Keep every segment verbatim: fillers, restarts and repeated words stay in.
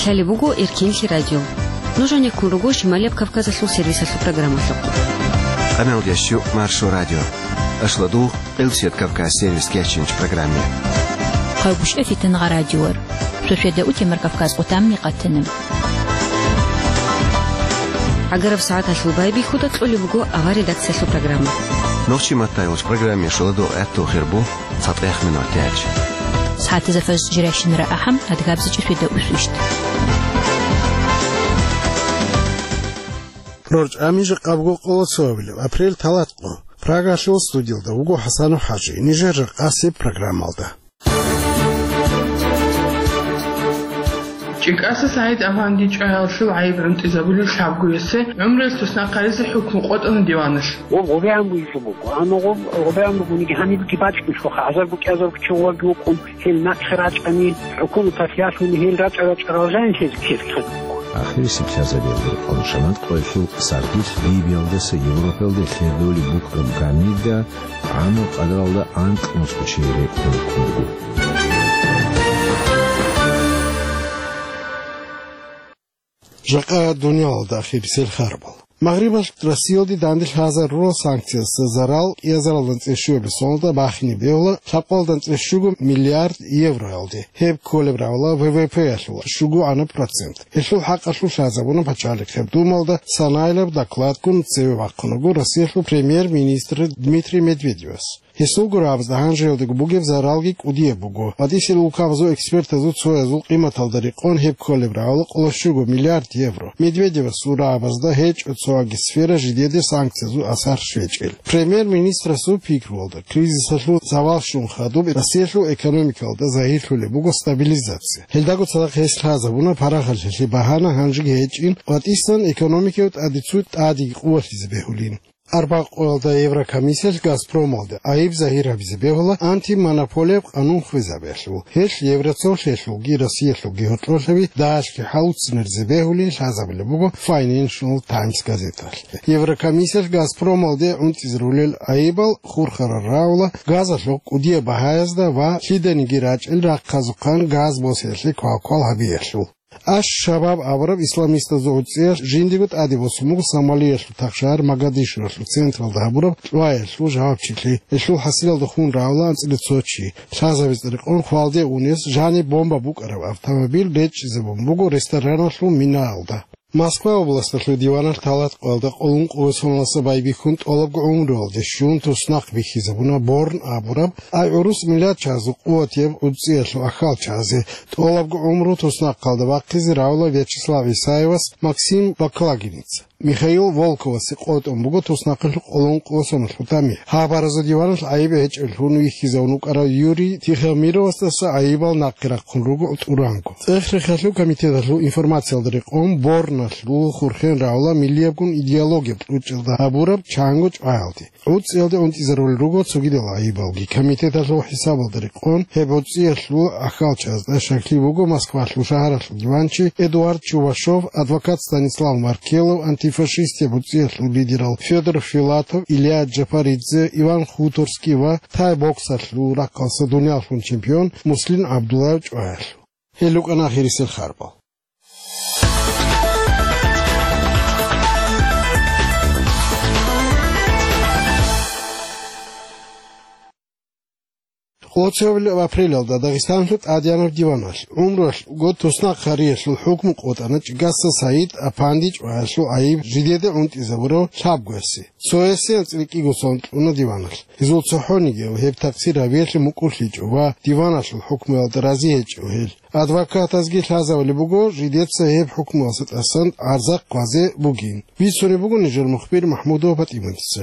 Лъалеб буго Эркенлъи радио. Нуж гьанеккун руго Шималияб Кавказалъул сервисалъул программалъухъ. Къаналдящу Маршо радио. Ашладу Къилсият Кавказ сервис кечинч программе. Къавгушев Фитангъа радиор. Шошведа утемар Кавказ къутамни къатана. ГӀагараб сагӀаталъул байбихьуда кьолеб буго авар редакциялъул программа. Нохчи маттайулч программе шуладу гӀатту хирбу. ЦатӀех минут яч. СагӀатазда фаз жиращинара ахӀам, адгабзичӀо светда усвищ. РорчӀами жакъабго къоло цоабилеб апрель талат къо. Прагалъул студиялда вуго ХӀасанов ХӀажи, нижер ракъасеб программалда. ЧӀикӀаса СагӀид Афанди чӀваялъул гӀайиб гӀунтӀизабулел лъабгоясе гӀумруялъ туснахъ гьаризе хӀукму къотӀана диваналъ. Гъоб гъобегӀан бугелъул буго, амма гъоб гъобегӀан бугониги гьанибги бачӀунелъулха, азарго кӀиазарго чи гъоваги вукӀун, гьел нахъе рачӀани, хӀукуматалъ ялъуни гьел рачӀа-рачӀарал жанлъи ккезе ккезе буго. Ахирисеб лъазабиялда рекъон шамат къоялъул сардилъ Ливиялдаса Европаялде лъердолеб букӀараб гамирда гӀамру къадаралда анкь нусго чи рекъон ккун буго. Жакъа дуниялалда ахирисел харбал. Магърибалъ Россиялде данде лъазарурал санкциясда зарал кӀиазаралда анцӀила щуабилеб соналда бахине бегьула лъабкъоялда анцӀила щуго миллиард евроялде. Гьеб кколеб равла В В П-ялъул щуго гӀанаб процент. Гьелъул хӀакъалъулъ лъазабуна Пачалихъеб Думалда санаилаб докладгун цеве вахъун вуго Россиялъул премьер-министр Дмитрий Медведевас. Гьесул гурабазда гьанжеялдаго бугеб заралги кӀудияб буго. БатӀисел улкабазул экспертазул цоязул къиматалда рекъон гьеб кколеб равла къоло щуго миллиард евро. Медведевасул рагӀабазда гьечӀо цоаги сфера жидеде санкциязул асар щвечӀел. Премьер-министрасул пикруялда, кризисалъул завал щун хадуб Россиялъул экономикалда загьирлъулеб буго стабилизация. Гьелдаго цадахъ гьес лъазабуна парахалъалъе багьана гьанжеги гьечӀин, батӀисан экономикав тӀаде цо тӀадеги къувалъизе бегьулин. Арбакъоялда Еврокомиссиялъ Газпромалде гӀайиб загьир гьабизе бегьула антимонополияб къанун хвезабиялъул. Гьелъ Евроцолъиялъулги Россиялъулги гьоркьорлъаби дагьалъги хӀалуццинарзе бегьулин лъазабулеб буго Financial Times газеталъ. Еврокомиссиялъ Газпромалде гӀунтӀизарулел гӀайибал хурхарал равла газалъул кӀудияб багьаязда ва лъиданиги рачӀел рахъазухъан газ босиялъе квалквал гьабиялъул. Аш-Шабаб абураб исламистазул гӀуцӀиялъ жиндего тӀаде босун буго Сомалиялъул тахшагьар Могадишуралъул централда гьабураб чӀваялъул жавабчилъи. Гьелъул хӀасилалда хун равла анцӀила цо чи. Лъазабизе рекъон хвалде унес жаниб бомба букӀараб автомобиль речӀчӀизабун буго рестораналъул минаялда. Москва областалъул диваналъ талат къоялда къоло ункъо ва соналдаса байбихьун тӀолабго гӀумруялде щун туснахъ бихьизабуна Борн абураб, ай гӀурус миллатчагӀазул къуватияб гӀуцӀиялъул ахьалчагӀазе. ТӀолабго гӀумру туснахъалда бахъизе равла Вячеслав Исаевас Максим Баклагинец. Михаил Волковасе къотӀун буго туснахъалъул къоло ункъо ва соналъул тӀами. Гьабаразул диваналъ гӀайиб гьечӀеб лъун вихьизавун вукӀарав Юрий Тихомировасдаса гӀайибал нахъе рахъун руго тӀуранго. ЦӀех-рехалъул комитеталъул информациялда рекъон, Борналъул хурхен равла миллиябгун идеологияб кьучӀалда гьабураб чанго чӀваялде. ГӀуцӀиялде унтӀизарулел руго цогидал гӀайибалги. Комитеталъул хӀисабалда рекъон, гьеб гӀуцӀиялъул ахьалчазда щаклъи буго Москвалъул шагьаралъул диванчи Эдуард Чувашов, адвокат Станислав Маркелов, антифашистияб гӀуцӀиялъул лидерал Федор Филатов, Илья Джапаридзе, Иван Хуторский ва тай-боксалъул рахъалъа дуниялалъул чемпион Муслим ГӀабдуллаев чӀваялъул. Гьел рукӀана ахирисел харбал. Къоцевлъи апрелалда Дагъистанлъул тӀадегӀанаб диваналъ гӀумруялъ год туснахъ гьариялъул хӀукму къотӀана ЧӀигаса Саид Апанди чӀваялъул гӀайиб жидеда гӀунтӀизабурав лъабгоясе. Цоясе анцӀила кӀиго сон кьуна диваналъ. Гьезул цохӀонигияв гьеб такъсир гьабиялъе мукӀурлъичӀо ва диваналъул хӀукмуялда рази гьечӀо гьел. Адвокатазги лъазабулеб буго, жидеца гьеб хӀукмуялдаса тӀасан гӀарза хъвазе бугин. Бицунеб буго нижер мухбир МахӀмудова ПатӀиматица.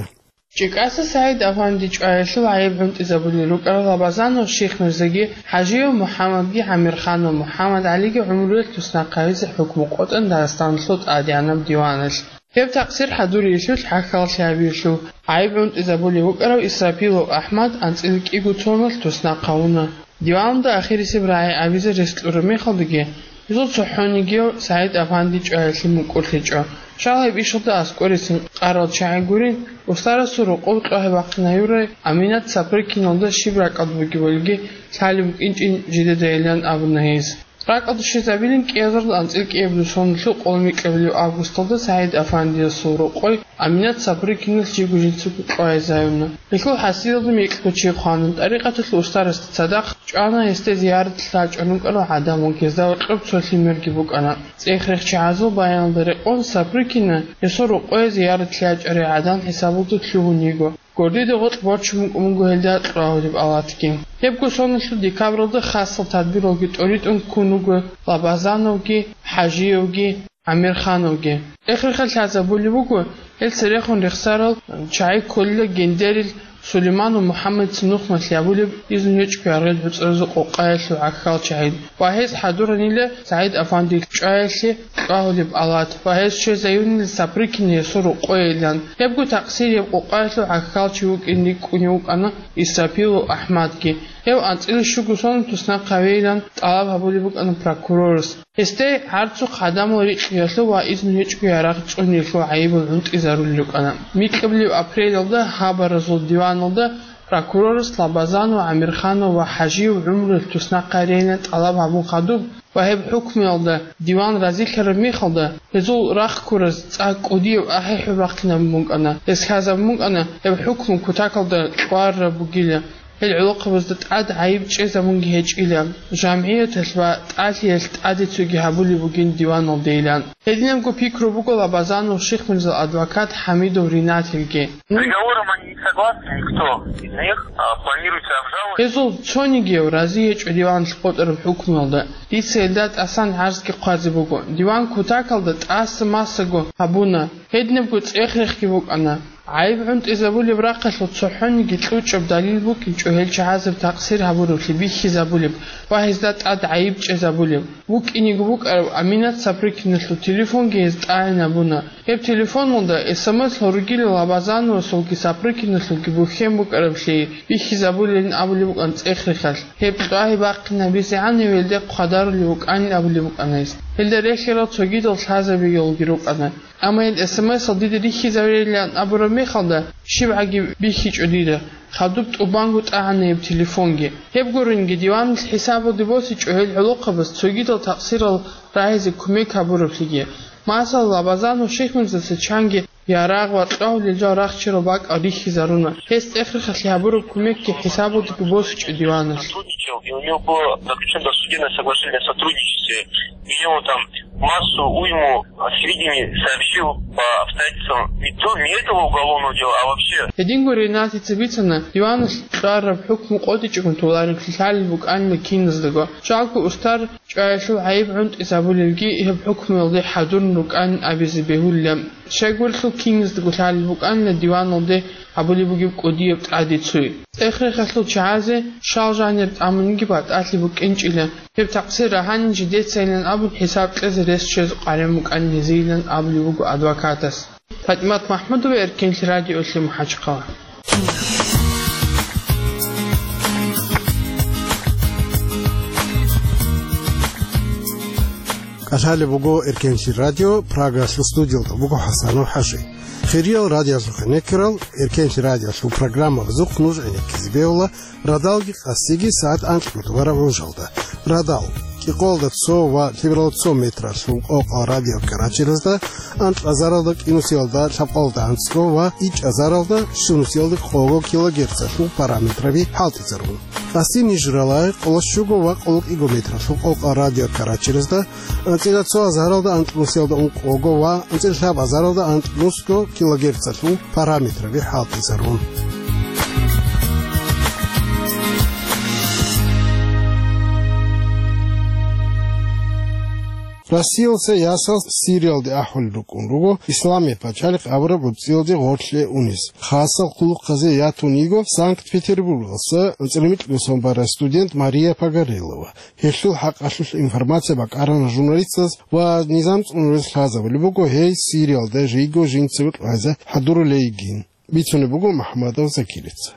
ЧӀикӀаса Саид Афанди чӀваялъул гӀайиб гӀунтӀизабулел рукӀарал Лабазанов Шихмирзаги, ХӀажиев МухӀаммадги, ГӀамирханов МухӀаммад ГӀалиги гӀумруялъ туснахъ гьаризе хӀукму къотӀана Дагъистаналъул тӀадегӀанаб диваналъ. Гьеб такъсир хӀадуриялъул хӀахьаллъи гьабиялъул гӀайиб гӀунтӀизабулев вукӀарав Исрапилов АхӀмад анцӀила кӀиго соналъ туснахъ гьавуна. Диваналда ахирисеб рагӀи абизе рес кьураб мехалдаги, гьезул цохӀонигияв Саид Афанди чӀваялъе мукӀурлъичӀо. Щал гьеб ишалда аскӀорецин къарал чагӀи гурин, устарасул рокъоб кьвагьи бахъинаюрай Аминат Сапрыкиналда щиб ракӀалда бугебалги лъалеб букӀинчӀин жидедайилан абуна гьес. РакӀалде щвезабилин кӀиазарда анцӀила кӀиабилеб соналъул къоло микьабилеб августалда СагӀид Афандиясул рокъой Аминат Сапрыкинас жиго жинцаго къвайзаюна. Гьелъул хӀасилалда микьго чи хъвана, тӀарикъаталъул устарасда цадахъ чӀвана, гьесде зияратлъи лъачӀарун рукӀарал гӀадамал, гьезда гьоркьоб цо лъимерги букӀана. ЦӀех-рехчагӀазул баяналда рекъон Сапрыкина гьесул рокъое зияратлъи ячӀарай гӀадан хӀисабалда лъугьун йиго. Гордида гъоркь борчун букӀун буго гьелда кьвагьулеб алатги. Гьебго соналъул декабралда хасал тадбиралги тӀоритӀун ккун руго Лабазановги, ХӀажиевги, ГӀамирхановги. Эхирхъа лъазабулеб буго, гьел церехун рехсарал чагӀи кколила Гендерил Сулейман ва МухӀаммадица нухмалъи гьабулеб, изну гьечӀого яргъил гӀуцӀаразул къокъаялъул гӀахьал чагӀи ва гьез хӀадуранила СагӀид Афандиялъ чӀваялъе кьвагьулеб алат ва гьез щвезаюнила Сапрыкина гьесул рокъоейилан. Гьебго такъсирияб къокъаялъул гӀахьал чи вукӀин рикӀкӀунев вукӀана Исрапилов АхӀмадги. Гьев анцӀила щуго соналъ туснахъ гьавейилан тӀалаб гьабулеб букӀана прокурорас. Гьесде гӀарцухъ гӀадамал рикьиялъул ва изну гьечӀого ярагъ цӀуниялъул гӀайибал гӀунтӀизарулел рукӀана. Микьабилеб апрелалда гьабаразул диваналда прокурорас Лабазанов, ГӀамирханов ва ХӀажиев гӀумруялъ туснахъ гьарейилан тӀалаб гьабун хадуб ва гьеб хӀукмуялда диван разилъараб мехалда, гьезул рахъ ккураз цӀакъ кӀудияб ахӀи-хӀуби бахъинабун букӀана. Гьес лъазабун букӀана, гьеб хӀукму кутакалда кьвараб бугила. Гьел гӀолохъабазда тӀад гӀайиб чӀезабунги гьечӀила, жамгӀияталъ ва тӀалъиялъ тӀаде цоги гьабулеб бугин диваналдейилан. Гьединабго пикру буго Лабазанов Шихмирзал адвокат ХӀамидов Ринатилги. С договором они не согласны, никто из них, а, планируется обжаловать. Гьезул цонигияв рази гьечӀо диваналъ къотӀараб хӀукмуялда. Дица гьелда тӀасан гӀарзги хъвазе буго. Диван кутакалда тӀаса-масаго гьабуна. Гьединабго цӀех-рехги букӀана. ГӀайиб гӀунтӀизабулеб рахъалъул цохӀониги кьучӀаб далил букӀинчӀо гьел чагӀазаб такъсир гьабураблъи бихьизабулеб ва гьезда тӀад гӀайиб чӀезабулеб. БукӀинего букӀараб Аминат Сапрыкиналъул телефонги гьез тӀагӀинабуна. Гьеб телефоналда эс эм эс гьоругила Лабазановасулги Сапрыкиналъулги бухьен букӀараблъи бихьизабулелин абулеб букӀана цӀех-рехалъ. Гьеб тӀагӀи бахъинабизегӀан гьев гьелде хъвадарулев вукӀанин абулеб букӀана гьес. Гьелда рехьарал цогидал лъазабиялги рукӀана. Амма гьел эс эм эс-ал дида рихьизарейилан абураб мехалда, щибгӀаги бихьичӀо дида, хадуб тӀубанго тӀагӀана гьеб телефонги. Гьеб гуринги, диваналъ хӀисабалде босичӀо гьел гӀолохъабаз цогидал такъсирал рагьизе кумек гьабураблъиги. Масала, Лабазанов Шихмирзаса чанги ярагъ ва кьвагьулел жал рахчарал бакӀал рихьизаруна. Гьес цӀех-рехалъе гьабураб кумекги хӀисабалдеги босичӀо диваналъ. Сотрудничал, и у него было заключено досудебное соглашение о сотрудничестве, где он там массу уйму сведений сообщил по обстоятельствам не то, не этого уголовного дела, а вообще. Гьединго Ринатица бицана, диваналъ кьвараб хӀукму къотӀичӀого толареб лъалел букӀанила киназдаго. Жалго устар чӀваялъул гӀайиб гӀунтӀизабулелги гьеб хӀукмуялде хӀадурун рукӀанин абизе бегьулила. Щайгурелъул киназдаго лъалел букӀанила диваналде гьабулеб бугеб кӀудияб тӀаде цуй. ЦӀех-рехалъул чагӀазе щал жанир тӀамунги батӀалъи букӀинчӀила. Гьеб такъсир рагьанин жидецайилан абун хӀисаб кьезе рес чӀезе къваригӀун букӀанин гьезийилан абулеб буго адвокатас. ПатӀимат МахӀмудова, Эркенлъи радиолъи, МахӀачхъала. КӀалъалеб буго Эркенлъи радио, Прагалъул студиялда буго ХӀасанов ХӀажи. Хириял радиоялъухъ гӀенеккарал, Эркенлъи радиоялъул программабазухъ нуж гӀенеккизе бегьула радалги къасиги сагӀат анкьго тӀубараб гӀужалда. Радал, кӀикъоялда цо ва лъебералда цо метралъул къокъал радиокаратеразда, анкьазаралда кӀинусиялда лъабкъоялда анцӀго ва ичӀазаралда щунусиялда къого килогерцалъул параметраби хӀалтӀизарун. Къаси ниж ралагъи къоло щуго ва къоло кӀиго метралъул къокъал радиокаратеразда, анцӀила цо азаралда анкьнусиялда ункъого ва анцӀила лъаб азаралда анкьнусго килогерцалъул параметраби хӀалтӀизарун. Россиялдаса ясалъ Сириялде ахӀулел рукӀун руго Исламияб пачалихъ абураб гӀуцӀиялде гъорлъе унес. Хасал хъулухъазе ятун йиго Санкт-Петербургдаса анцӀила микьго сон барай студент Мария Погорелова. Гьелъул хӀакъалъулъ информация бакӀарана журналистаз ва низам цӀунулез лъазабулеб буго гьей Сириялда жийго жинцаго къвайзе хӀадурулей йигин, бицунеб буго МухӀамадов Закирица.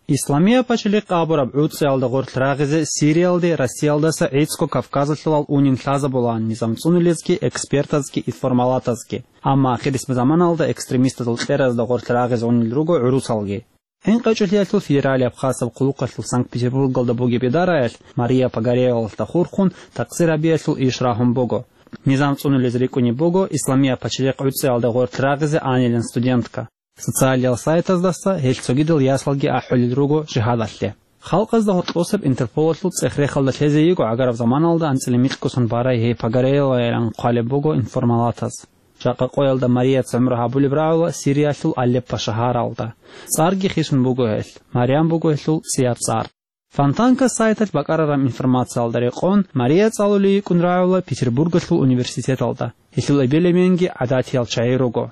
Исламияб пачалихъ абураб гӀуцӀиялда гъорлъ рагъизе Сириялде Россиялдаса гӀицӀго Кавказалъулал унин лъазабулаан низам цӀунулезги, экспертазги, информалатазги. Амма ахирисеб заманалда экстремистазул кьеразда гъорлъ рагъизе унел руго гӀурусалги. ХӀинкъичӀолъиялъул федералияб хасаб хъулухъалъул Санкт-Петербургалда бугеб идараялъ Мария Погореловалда хурхун такъсир гьабиялъул иш рагьун буго. Низам цӀунулез рикӀкӀунеб буго Исламия пачалихъ гӀуцӀиялда гъоркь рагъизе анилан студентка. Социалиял сайтаздаса гьелъ цогидал ясалги ахӀулел руго жигьадалъе. Халкъазда гьоркьосаб Интерполалъул цӀех-рехалда лъезе йиго гӀагараб заманалда анцӀила микьгусан барай гьей Погореловайилан хъвалеб буго информалатаз. Жакъа къоялда Марияца гӀумру гьабулеб рагӀула Сириялъул Алеппо шагьаралда. ЦӀарги хисун буго гьелъ, Марям буго гьелъул цӀияб цӀар. Фонтанка сайталъ бакӀарараб информациялда рекъон, Мария цӀалулей йикӀун рагӀула Петербургалъул университеталда. Гьелъул эбел-эменги гӀадатиял чагӀи руго.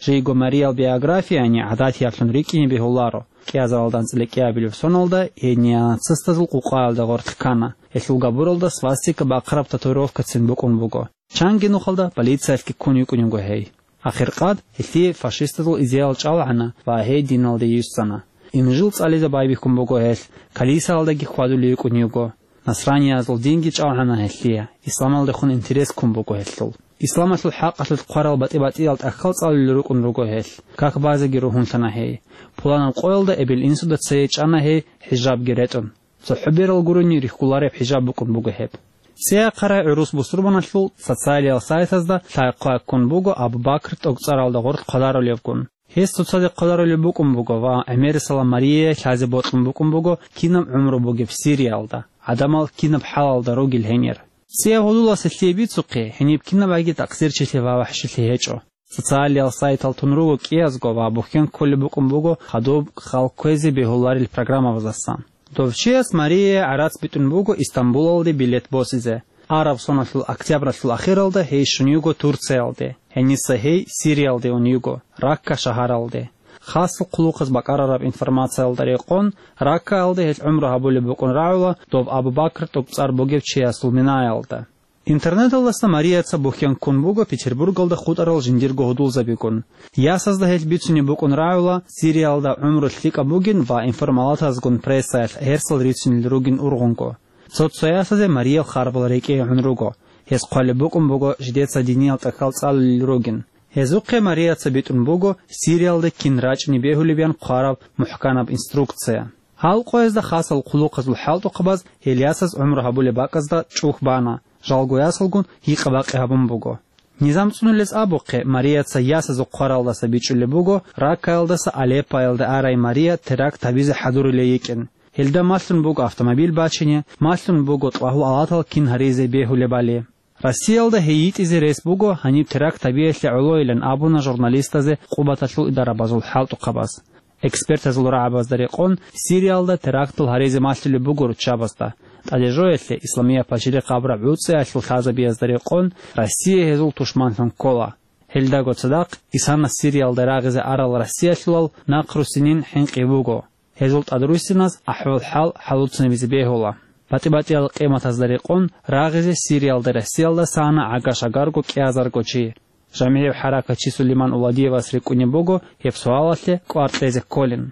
Жийго Мариял биографияни гӀадатияблъун рикӀкӀине бегьуларо. КӀиазаралда анцӀила кӀиабилеб соналда гьей неонацистазул къукъаялда гъоркь ккана. Гьелъул габуралда свастика бахъараб татуировкацин букӀун буго. Чанги нухалда полициялъги ккун йикӀун йиго гьей. Ахиркъад гьелъие фашистазул идеял чӀалгӀана ва гьей диналде йиссана. Инжил цӀализе байбихьун буго гьелъ, калисаялдаги хьвадулей йикӀун йиго. Насраниязул динги чӀалгӀана гьелъие, исламалдехун интерес ккун буго гьелъул. Исламалъул хӀакъалъулъ хъварал батӀи-батӀиял тӀахьал цӀалулел рукӀун руго гьелъ. Как базеги ругьунлъана гьей. Пуланаб къоялда эбел-инсуда цее чӀана гьей хӀижабги ретӀун. ЦохӀо берал гурони рихьулареб хӀижаб букӀун буго гьеб. ЦӀеяхъарай гӀурус бусурбаналъул социалиял сайтазда лъай-хъвай ккун буго Абу Бакр тӀокӀцӀаралда гъоркь хъвадарулевгун. Гьес цоцазе хъвадарулеб букӀун буго ва гӀемерисела Марияе лъазе бокьун букӀун буго кинаб гӀумру бугеб Сириялда, гӀадамал кинаб хӀалалда ругел гьенир. ЦӀияб гьудуласе лъие бицухъе, гьениб кинаб аги такъсирчилъи ва вахӀшилъи гьечӀо. Социалиял сайтал тун руго кӀиязго ва бухьен кколеб букӀун буго хадуб хал кквезе бегьуларел программабаздасан. Дов чияс Марияе гӀарац битӀун буго Истамбулалде билет босизе. Араб соналъул октябралъул ахиралда гьей щун йиго Турциялде, гьениса гьей Сириялде ун йиго, Ракка шагьаралде. Хасал хъулухъаз бакӀарараб информациялда рекъон, Раккаялда гьелъ гӀумру гьабулеб букӀун рагӀула доб Абу Бакр тӀокӀцӀар бугев чиясул минаялда. Интернеталдаса Марияца бухьен ккун буго Петербургалда хутӀарал жиндирго гьудулзабигун. Ясазда гьелъ бицунеб букӀун рагӀула Сириялда гӀумру лъикӀаб бугин ва информалатазгун прессаялъ гьерсал рицунел ругин ургъунго. Цо-цо ясазе Мариял харбал рекӀее гӀун руго. Гьес хъвалеб букӀун буго жидеца диниял тӀахьал цӀалулел ругин. Гьезухъе Марияца битӀун буго Сириялда кин рачӀни бегьулеб ян хъвараб мухӀканаб инструкция. Гьал къоязда хасал хъулухъазул хӀалтӀухъабаз гьел ясаз гӀумру гьабулеб бакӀазда чӀухь бана, жалго ясалгун гьикъа-бакъи гьабун буго. Низам цӀунулез абухъе, Марияца ясазухъ хъваралдаса бичӀчӀулеб буго, Раккаялдаса Алеппоялде арай Мария теракт гьабизе хӀадурулей йикӀин. Гьелда малъун буго автомобиль бачине, малъун буго тӀагьул алатал кин гьаризе бегьулебали. Россиялда гьей йитӀизе рес буго гьаниб теракт гьабиялъе гӀолойилан абуна журналистазе Къубаталъул идарабазул хӀалтӀухъабаз. Экспертазул рагӀабазда рекъон, Сириялда терактал гьаризе малъулеб буго руччабазда. ТӀадежоялъе Исламия пачалихъ абураб гӀуцӀиялъул лъазабиязда рекъон, Россия гьезул тушманлъун ккола. Гьелдаго цадахъ, исана Сириялда рагъизе арал Россиялъулал нахърусинин хӀинкъи буго. Гьезул тӀадруссиназ ахӀвал-хӀал хӀалуцинабизе бегьула. БатӀи-батӀиял къиматазда рекъон, рагъизе Сириялда Россиялдаса ана гӀага-шагарго кӀиазарго чи. ЖамигӀив хӀаракатчи Сулейман Уладиевас рикӀкӀунеб буго гьеб суалалъе кӀвар кьезе кколин.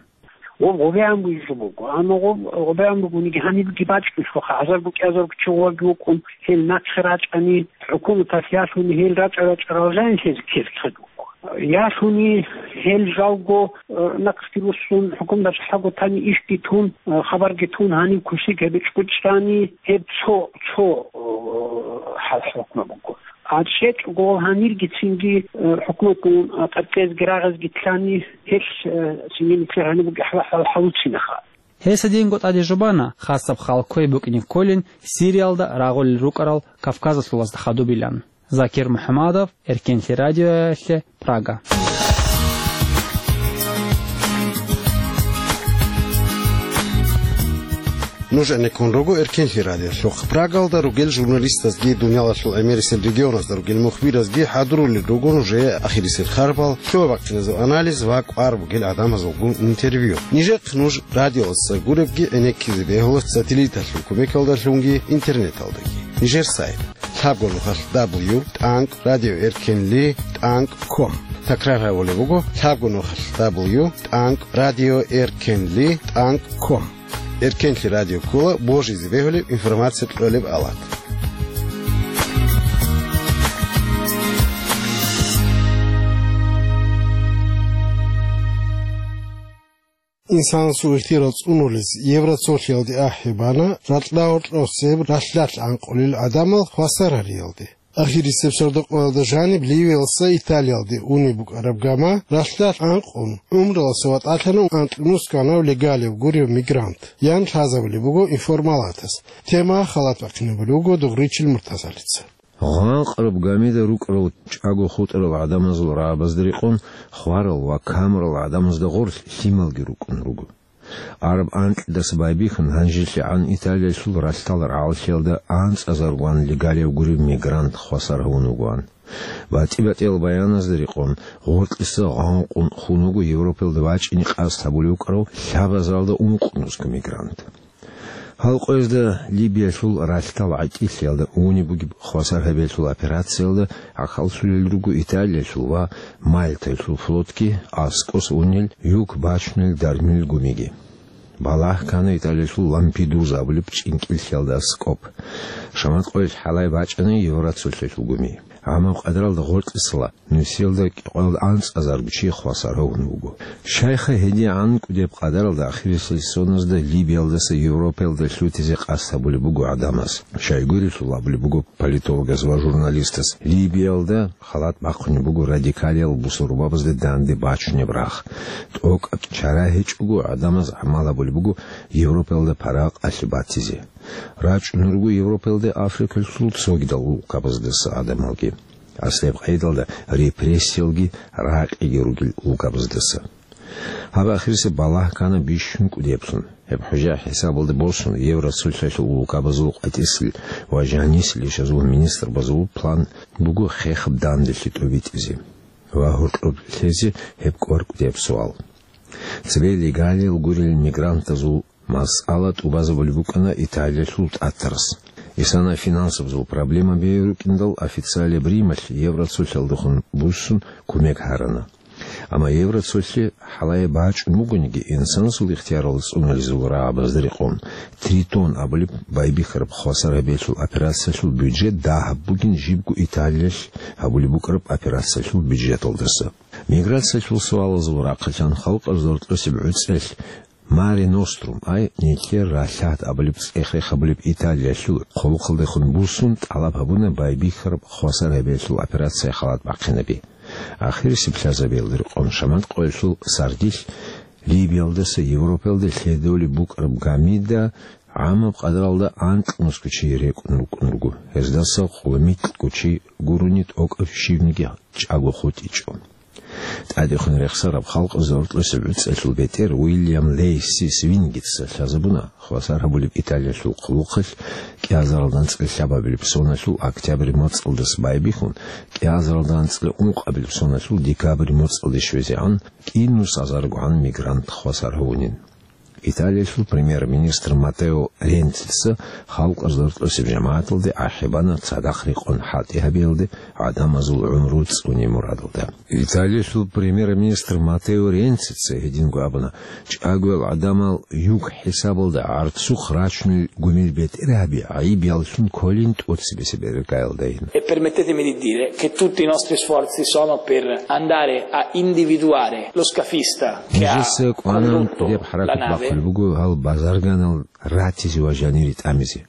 Гъоб гъобегӀан бугеб буго, амма гъоб гъобегӀан бугониги гьанибги бачӀунелъулха, гӀазарго кӀиазарго чи гъоваги вукӀун, гьел нахъе рачӀани, хӀукуматалъ ялъуни гьел рачӀа-рачӀарал жанилъезе ккезе ккезе буго. Ялъуни гьел жалго, э, нахъги руссун, хӀукуматалъ хӀаго тани ишги тун, э, хабарги тун, гьаниб кусиг гьебе чӀучӀани, гьеб цо, цо, э, хӀал-хӀукму буго. А чӀечӀого гьанирги цинги, э, хӀукуматгун, э, тӀадкъезги рагъизги лъани, гьелъ, э, цинги нилъер гьаниб бугеб хӀал-, хӀал-, хӀалуцинаха. Гьес гьединго тӀаде жубана, хасаб хал кквей букӀине кколин Сириялда рагъулел рукӀарал кавказалъулазда хадубилан. Закир МухӀамадов, Эркенлъи радиоялъе, Прага. Нуж гӀенеккун руго Эркенлъи радиолъухъ. Прагалда ругел журналистазги, дуниялалъул гӀемерисел регионазда ругел мухбиразги хӀадурулел руго нужее ахирисел харбал, лъугӀа-бахъиназул анализ ва кӀвар бугел гӀадамазулгун интервью. Нижехъ нуж радиоялдаса гуребги гӀенеккизе бегьула сателлиталъул кумекалдалъунги интернеталдаги. Нижер сайт: лъабго нухалъ дабл ю тӀанкӀ радио эркенли тӀанкӀ ком. Такрар гьабулеб буго: лъабго нухалъ дабл ю тӀанкӀ радио эркенли тӀанкӀ ком. Эркенлъи радио ккола божизе бегьулеб информация кьолеб ават. Инсанасул ихтияр цӀунулез Евроцолъиялде ахӀи бана ракьалда гьоркьосеб ралъдалъ гӀанкъулел гӀадамал хвасар гьариялде. Ахирисеб сордо-къоялда жаниб Ливиялдаса Италиялде унеб букӀараб гама ралъдалъ гӀанкъун, гӀумруялдаса ватӀалъана анкьнусго гьанав легалияб гуреб мигрант, ян лъазабулеб буго информалатас. Тема халат бахъинабулеб буго Дугъричил Муртазалица. Гъанкъараб гамида рукӀарал чӀаго хутӀарал гӀадамазул рагӀабазда рекъон хварал ва камурал гӀадамазда гъорлъ лъималги рукӀун руго. Араб анкьидаса байбихьун, гьанжелъагӀан Италиялъул ралъдал рагӀаллъиялда анцӀазаргоан легалияб гуреб мигрант хвасар гьавун вугоан. БатӀи-батӀиял баяназда рекъон, гъоркьиса гъанкъун хун вуго Европаялда вачӀине къасд гьабулев вукӀарав лъабазаралда ункънусго мигрант. Гьал къоязда Либиялъул ралъдал гӀатӀилъиялда унеб бугеб хвасар гьабиялъул операциялда гӀахьаллъулел руго Италиялъул ва Мальтаялъул флотги, аскӀос унел юк бачунел дармил гумиги. Балагь ккана Италиялъул Лампедуза абулеб чӀинкӀиллъиялда аскӀоб. Шамат къоялъ хӀалай бачӀана Евроцолъиялъул гуми. ГӀамаб къадаралда гъоркьисала нусиялда кӀикъоялда анцӀазарго чи хвасар гьавун вуго. Щайха гьедигӀан кӀудияб къадаралда ахирисел соназда Либиялдаса Европаялда лъутизе къасд гьабулеб буго гӀадамаз. Щайгурелъул абулеб буго политологас ва журналистас, Либиялда халат бахъунеб буго радикалиял бусурбабазда данде бачунеб рагъ. ТӀокӀаб чара гьечӀого гӀадамаз гӀамал гьабулеб буго Европаялда паракъалъе батизе. РачӀун руго Европаялда Африкалъул цогидал улкабаздаса гӀадамалги. Аслаб къайдалда репрессиялги ракъиги ругел улкабаздаса. Гьаб ахирисеб балагь ккана бищун кӀудияблъун. Гьеб хӀужа хӀисабалда босун, Евроцолъиялъул улкабазул къватӀисел ва жанисел ишазул министрбазул план буго хехаб данделъи тӀобитӀизе ва гьоркьоб лъезе гьеб кӀвар кӀудияб суал. Цебе легалиял гурел мигрантазул масъала тӀубазабулеб букӀана Италиялъул тӀатарас. Исана финансабазул проблемаби рукӀиндал, официалияб Рималъ Евроцолъиялдехун буссун кумек гьарана. Амма Евроцолъи хӀалае бачӀун бугониги, инсанасул ихтиярал цӀунулезул рагӀабазда рекъон, Тритон абулеб байбихьараб хвасар гьабиялъул операциялъул бюджет дагьаб бугин жибго Италиялъ гьабулеб букӀараб операциялъул бюджеталдаса. Миграциялъул суалазул рахъалъан халкъалъул рокьосеб гӀуцӀелъ Маре Нострум, ай, нилъер ралъад абулеб цӀех-рех гьабулеб Италиялъул хъулухъалдехун буссун тӀалаб гьабуна байбихьараб хвасар гьабиялъул операция халат бахъинаби. Ахирисеб лъазабиялда рекъон шамат къоялъул сардилъ Либиялдаса Европаялде лъедолеб букӀараб гамида гӀамаб къадаралда анкьнусго чи рекӀун рукӀун руго, гьездаса къулмикьго чи гурони тӀокӀаб щибниги чӀаго хутӀичӀо. ТӀадехун рехсараб халкъалъул рокьосеб гӀуцӀелъул бетӀер Уильям Лейси Свингица лъазабуна хвасар гьабулеб Италиялъул хъулухъалъ кӀиазаралда анцӀила лъабабилеб соналъул октябрь моцӀалдаса байбихьун, кӀиазаралда анцӀила ункъабилеб соналъул декабрь моцӀалде щвезегӀан кӀинусазаргогӀан мигрант хвасар гьавунин. Италиялъул премьер-министр Матео Ренцица халкъалъул рокьосеб жамагӀаталде ахӀи бана цадахъ рекъон хӀалтӀи гьабиялде гӀадамазул гӀумру цӀуне мурадалда. Италиялъул премьер-министр Матео Ренцица гьединго абуна, чӀагоял гӀадамал юк хӀисабалда гӀарцухъ рачунел гумил бетӀергьаби гӀайиб яллъун кколин тӀоцебесеб иргаялдайин. E permettetemi di dire che tutti i nostri sforzi sono per andare a individuare lo scafista che ha Нижеца кӀванан condotto кӀудияб la хӀаракат nave. Бахъулеб буго гьал базарганал ратизе ва жанире тӀамизе.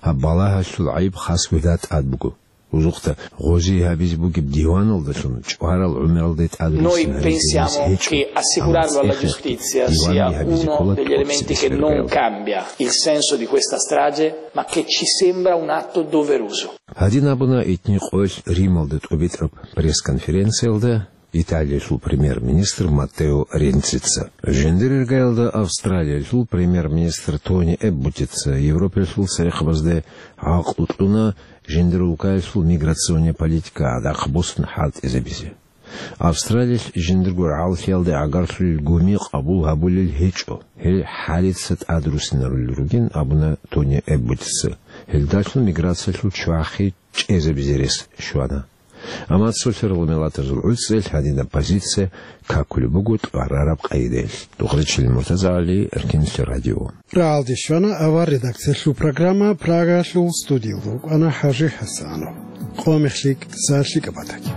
Гьаб балагьалъул гӀайиб хас гьуда тӀад буго. Узухъда гъози гьабизе бугеб диваналдалъун чӀварал гӀумералде тӀад Noi рицин гьаризе рес pensiamo гьечӀо, che амма assicurarlo alla цӀехехъги giustizia диванги sia гьабизе uno ккола degli elementi che тӀоцебесеб non иргаялда. Cambia il senso di questa strage, ma che ci sembra un atto doveroso. Гьадин абуна итни къоялъ Рималда тӀобитӀараб пресс-конференциялда Италиялъул премьер-министр Маттео Ренцица. Жиндир иргаялда Австралиялъул премьер-министр Тони Эбботица Европаялъул церехъабазда гӀакълу кьуна жиндир улкаялъул миграционный политика гӀадахъ босун хӀалтӀизабизе. Австралиялъ жиндирго рагӀаллъиялда гӀагарлъулел гуми къабул гьабулел гьечӀо, гьел хӀалица тӀад руссинарулел ругин, абуна Тони Эбботица. Гьелдалъун миграциялъул чвахи чӀезабизе рес щвана. Амма цолъарал миллатазул гӀуцӀел гьадинаб позиция какулеб буго кьварараб къайдаялъ. Дугъричил Муртазагьали, Эркинлъи радио. РагӀалде щвана авар редакциялъул программа Прагалъул студиялда вукӀана ХӀажи ХӀасанов. Къо мехлъи, са лъикӀаб батаги.